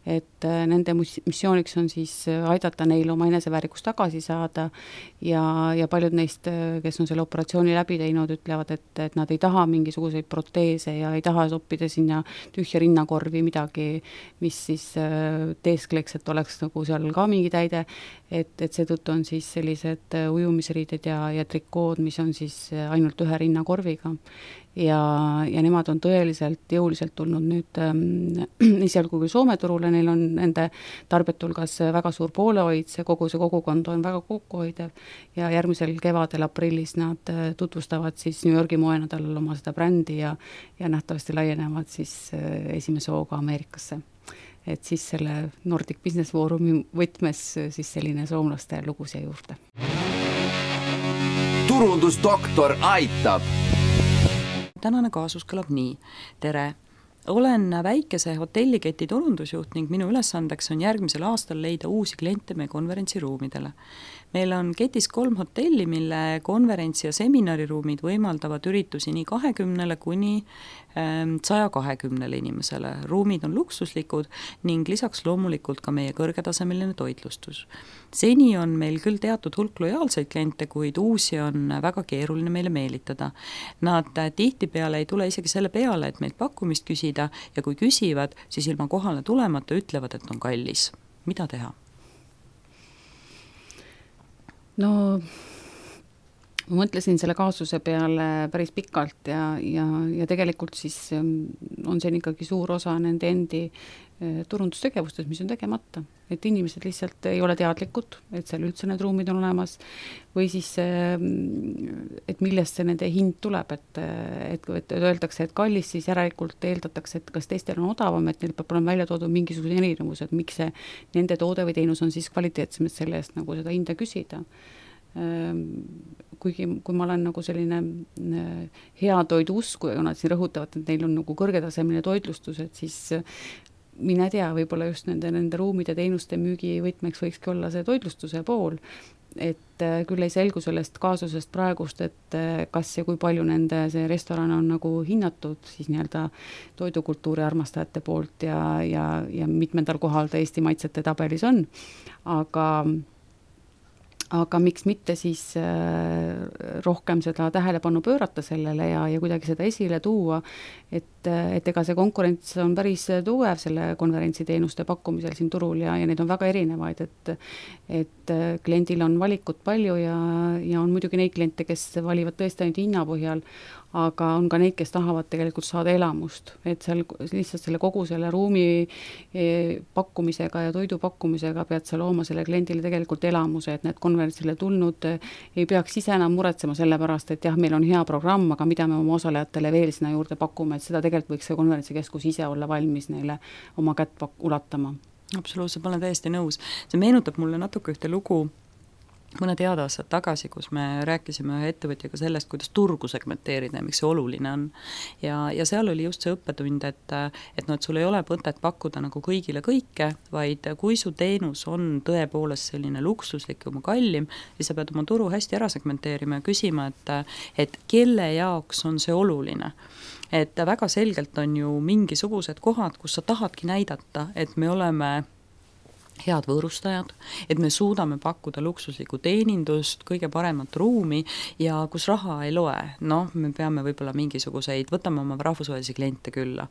Speaker 3: Et nende missiooniks on siis aidata neil oma eneseväärikust tagasi saada ja paljud neist, kes on selle operatsiooni läbi teinud, ütlevad, et nad ei taha mingisuguseid proteese ja ei taha soppida sinna tühja rinnakorvi midagi, mis siis teeskleks, et oleks nagu seal ka mingi täide, et seetõttu on siis sellised ujumisriided ja trikood, mis on siis ainult ühe rinnakorviga. Ja nemad on tõeliselt jõuliselt tulnud nüüd esialgu kui Soome turule, neil on nende tarbijate hulgas väga suur poolehoid, kogu see kogukond on väga kokkuhoidev ja järgmisel kevadel aprillis nad tutvustavad siis New Yorgi moenädalal oma seda brändi ja nähtavasti laienevad siis esimese hooga Ameerikasse. Et siis selle Nordic Business Forumi võtmes siis selline soomlaste lugu siia juurde.
Speaker 1: Turundusdoktor aitab!
Speaker 2: Tänane kaasus kõlab nii. Tere! Olen väikese hotelliketi turundusjuht ning minu ülesandeks on järgmisel aastal leida uusi kliente meie konverentsiruumidele. Meil on ketis 3 hotelli, mille konverentsi- ja seminariruumid võimaldavad üritusi nii 20 kuni 120 inimesele. Ruumid on luksuslikud ning lisaks loomulikult ka meie kõrgetasemeline toitlustus. Seni on meil küll teatud hulk lojaalseid kliente, kuid uusi on väga keeruline meile meelitada. Nad tihtipeale ei tule isegi selle peale, et meilt pakkumist küsida ja kui küsivad, siis ilma kohale tulemata ütlevad, et on kallis. Mida teha?
Speaker 3: No ma mõtlesin selle kaasuse peale päris pikalt ja tegelikult siis on see ikkagi suur osa nende endi turundustegevustes, mis on tegemata. Et inimesed lihtsalt ei ole teadlikud, et seal üldse need ruumid on olemas või siis, et millest see nende hind tuleb, et öeldakse, et kallis, siis järelikult eeldatakse, et kas teistel on odavam, et neil peab olema välja toodud mingisugused erinevused, miks see nende toode või teenus on siis kvaliteetsemad selle eest nagu seda hinda küsida. Kuigi kui ma olen nagu selline hea toidu usku ja nad siin rõhutavad, et neil on nagu kõrgetasemeline toitlustus, et siis mina tea, võib-olla just nende ruumide teenuste müügi võtmeks võikski olla see toitlustuse pool, et küll ei selgu sellest kaasusest praegust, et kas ja kui palju nende see restoran on nagu hinnatud siis nii-öelda toidukultuuri armastajate poolt ja mitmendal kohal ta Eesti maitsete tabelis on, aga miks mitte siis rohkem seda tähelepanu pöörata sellele ja kuidagi seda esile tuua, et ega see konkurents on päris tugev selle konverentsiteenuste pakkumisel siin turul ja neid on väga erinevaid, et kliendil on valikut palju ja on muidugi neid kliente, kes valivad tõesti ainult hinna põhjal, aga on ka neid, kes tahavad tegelikult saada elamust, et seal lihtsalt selle kogu selle ruumi pakkumisega ja toidu pakkumisega pead sa looma selle kliendile tegelikult elamuse, et need konverentsile tulnud ei peaks ise enam muretsema selle pärast, et jah, meil on hea programm, aga mida me oma osalejatele veel sinna juurde pakume, et seda tegelikult võiks see konverentsikeskus ise olla valmis neile oma kätt ulatama.
Speaker 2: Absoluutselt, ma olen täiesti nõus. See meenutab mulle natuke ühte lugu mõned head aastad tagasi, kus me rääkisime ühe ettevõtjaga sellest, kuidas turgu segmenteerida ja miks see oluline on. Ja seal oli just see õppetund, et sul ei ole mõtet pakkuda nagu kõigile kõike, vaid kui su teenus on tõepoolest selline luksuslik ja kallim, siis sa pead oma turu hästi ära segmenteerima ja küsima, et kelle jaoks on see oluline. Et väga selgelt on ju mingisugused kohad, kus sa tahadki näidata, et me oleme head võõrustajad, et me suudame pakkuda luksuslikku teenindust, kõige paremat ruumi ja kus raha ei loe. Me peame võib-olla mingisuguseid, võtame oma rahvusvahelisi kliente külla,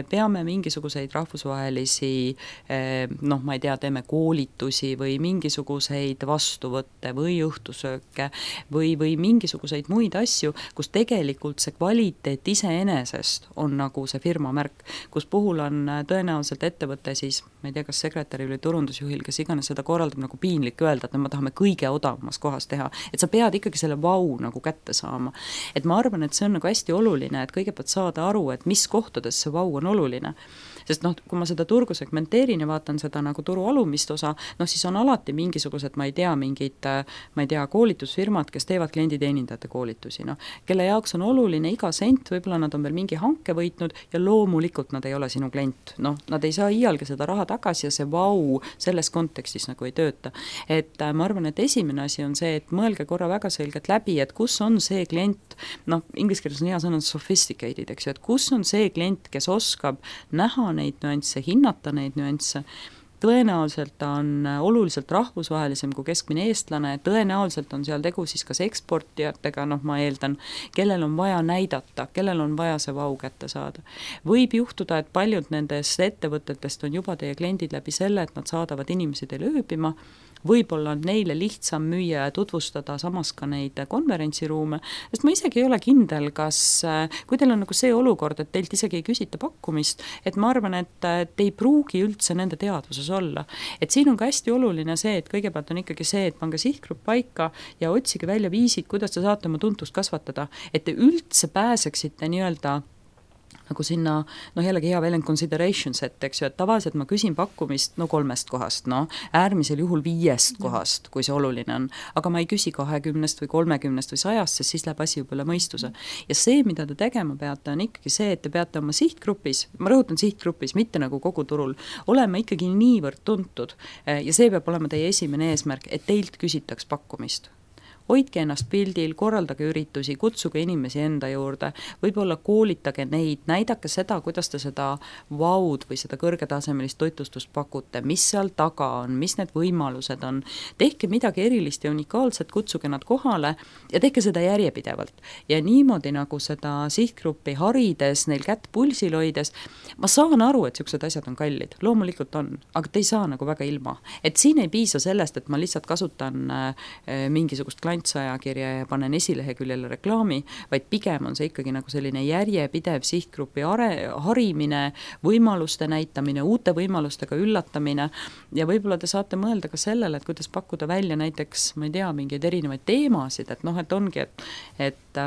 Speaker 2: peame mingisuguseid rahvusvahelisi, ma ei tea, teeme koolitusi või mingisuguseid vastuvõtte või õhtusööke või mingisuguseid muid asju, kus tegelikult see kvaliteet iseenesest on nagu see firma märk, kus puhul on tõenäoliselt ettevõte siis, ma ei tea, kas sekretäri või turundusjuhil, kes iganes seda korraldab, nagu piinlik öelda, et me tahame kõige odavamas kohas teha, et sa pead ikkagi selle vau nagu kätte saama. Et ma arvan, et see on nagu hästi oluline, et kõigepealt saada aru, et mis kohtades see vau on oluline. Sest kui ma seda turgu segmenteerin ja vaatan seda nagu turu alumist osa, siis on alati mingisugused, mingid koolitusfirmad, kes teevad klienditeenindajate koolitusi, kelle jaoks on oluline iga sent, võib-olla nad on veel mingi hanke võitnud ja loomulikult nad ei ole sinu klient. Nad ei saa iialgi seda raha tagasi ja see vau selles kontekstis nagu ei tööta. Et ma arvan, et esimene asi on see, et mõelge korra väga selgelt läbi, et kus on see klient, inglise keeles on hea sõna sophisticated, eks ju, et kus on see klient, kes oskab näha neid nüansse, hinnata neid nüansse, tõenäoliselt on oluliselt rahvusvahelisem kui keskmine eestlane, tõenäoliselt on seal tegu siis kas eksportijatega, ma eeldan, kellel on vaja näidata, kellel on vaja see vau kätte saada. Võib juhtuda, et paljud nendest ettevõtetest on juba teie kliendid läbi selle, et nad saadavad inimesi teile ööbima, võib-olla on neile lihtsam müüa ja tutvustada samas ka neid konverentsiruume, sest ma isegi ei ole kindel, kas, kui teil on nagu see olukord, et teilt isegi ei küsita pakkumist, et ma arvan, et te ei pruugi üldse nende teadvuses olla. Et siin on ka hästi oluline see, et kõigepealt on ikkagi see, et pange sihtgrupp paika ja otsige välja viisid, kuidas te saate oma tuntust kasvatada, et te üldse pääseksite nii-öelda nagu sinna, jällegi hea väljend consideration set, eks ju, et tavaliselt ma küsin pakkumist 3 kohast, äärmisel juhul 5 kohast, kui see oluline on, aga ma ei küsi 20 või 30 või 100, sest siis läheb asi juba üle mõistuse. Ja see, mida te tegema peate, on ikkagi see, et te peate oma sihtgrupis, ma rõhutan sihtgrupis, mitte nagu kogu turul, olema ikkagi niivõrd tuntud ja see peab olema teie esimene eesmärk, et teilt küsitaks pakkumist. Hoidke ennast pildil, korraldage üritusi, kutsuge inimesi enda juurde, võib-olla koolitage neid, näidake seda, kuidas te seda vaud või seda kõrgetasemelist toitlustust pakute, mis seal taga on, mis need võimalused on. Tehke midagi erilist ja unikaalset, kutsuge nad kohale ja tehke seda järjepidevalt. Ja niimoodi nagu seda sihtgruppi harides, neil kätt pulsil hoides, ma saan aru, et siuksed asjad on kallid, loomulikult on, aga te ei saa nagu väga ilma. Et siin ei piisa sellest, et ma lihtsalt kasutan mingisugust finantsajakirja ja panen esileheküljele reklaami, vaid pigem on see ikkagi nagu selline järjepidev sihtgrupi harimine, võimaluste näitamine, uute võimalustega üllatamine ja võib-olla te saate mõelda ka sellele, et kuidas pakkuda välja näiteks, ma ei tea, mingeid erinevaid teemasid, et noh, et ongi, et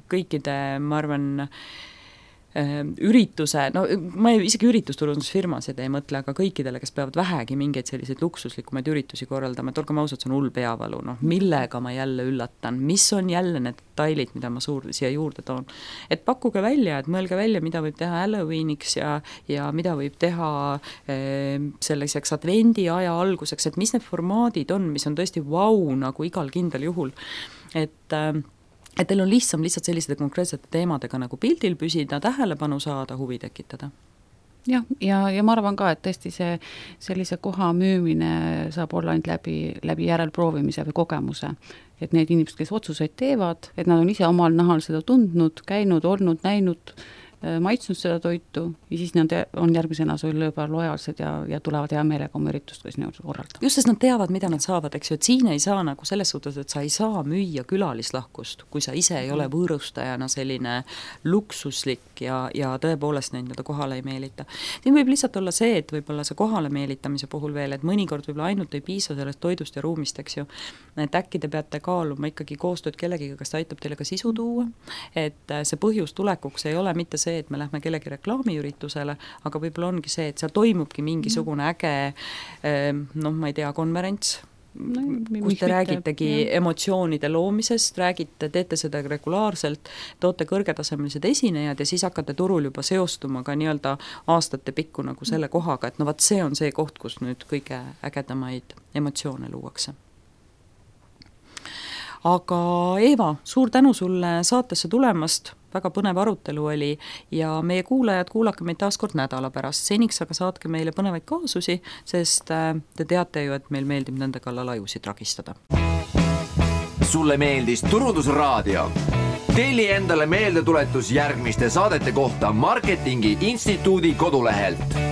Speaker 2: kõikide, ma arvan, ürituse, no ma isegi üritusturundusfirmasid ei mõtle, aga kõikidele, kes peavad vähegi mingeid selliseid luksuslikumaid üritusi korraldama, et olgem ausad, see on hull peavalu, millega ma jälle üllatan, mis on jälle need detailid, mida ma siia juurde toon. Et pakkuge välja, et mõelge välja, mida võib teha Halloweeniks ja mida võib teha selliseks advendi aja alguseks, et mis need formaadid on, mis on tõesti nagu igal kindel juhul, et teil on lihtsalt selliste konkreetsete teemadega nagu pildil püsida, tähelepanu saada, huvi tekitada.
Speaker 3: Ja ma arvan ka, et tõesti sellise koha müümine saab olla ainult läbi järelproovimise või kogemuse. Et need inimesed, kes otsuseid teevad, et nad on ise omal nahal seda tundnud, käinud, olnud, näinud, maitsnud seda toitu ja siis nad on järgmisena sulle juba lojaalsed ja tulevad hea meelega oma üritust, kui sinna korraldada.
Speaker 2: Just, sest nad teavad, mida nad saavad, eks ju, et siin ei saa nagu selles suhtes, et sa ei saa müüa külalislahkust, kui sa ise ei ole võõrustajana selline luksuslik ja tõepoolest neid kohale ei meelita. Siin võib lihtsalt olla see, et võib-olla see kohale meelitamise puhul veel, et mõnikord võib-olla ainult ei piisa sellest toidust ja ruumist, eks ju, et äkki te peate kaaluma ikkagi koostööd kellegiga, kes aitab teile ka sisu tuua, et see põhjus tulekuks ei ole mitte see, et me lähme kellegi reklaamiüritusele, aga võib-olla ongi see, et seal toimubki mingisugune äge, ma ei tea, konverents, kus te räägitegi emotsioonide loomisest, teete seda regulaarselt, toote kõrgetasemelised esinejad ja siis hakkate turul juba seostuma ka nii-öelda aastate pikku nagu selle kohaga, et vaat see on see koht, kus nüüd kõige ägedamaid emotsioone luuakse. Aga Eeva, suur tänu sulle saatesse tulemast, väga põnev arutelu oli ja meie kuulajad, kuulake meid taas kord nädala pärast, seniks aga saatke meile põnevaid kaasusi, sest te teate ju, et meil meeldib nende kallal ajusid ragistada.
Speaker 1: Sulle meeldis Turundusraadio? Telli endale meeldetuletus järgmiste saadete kohta Marketingi Instituudi kodulehelt.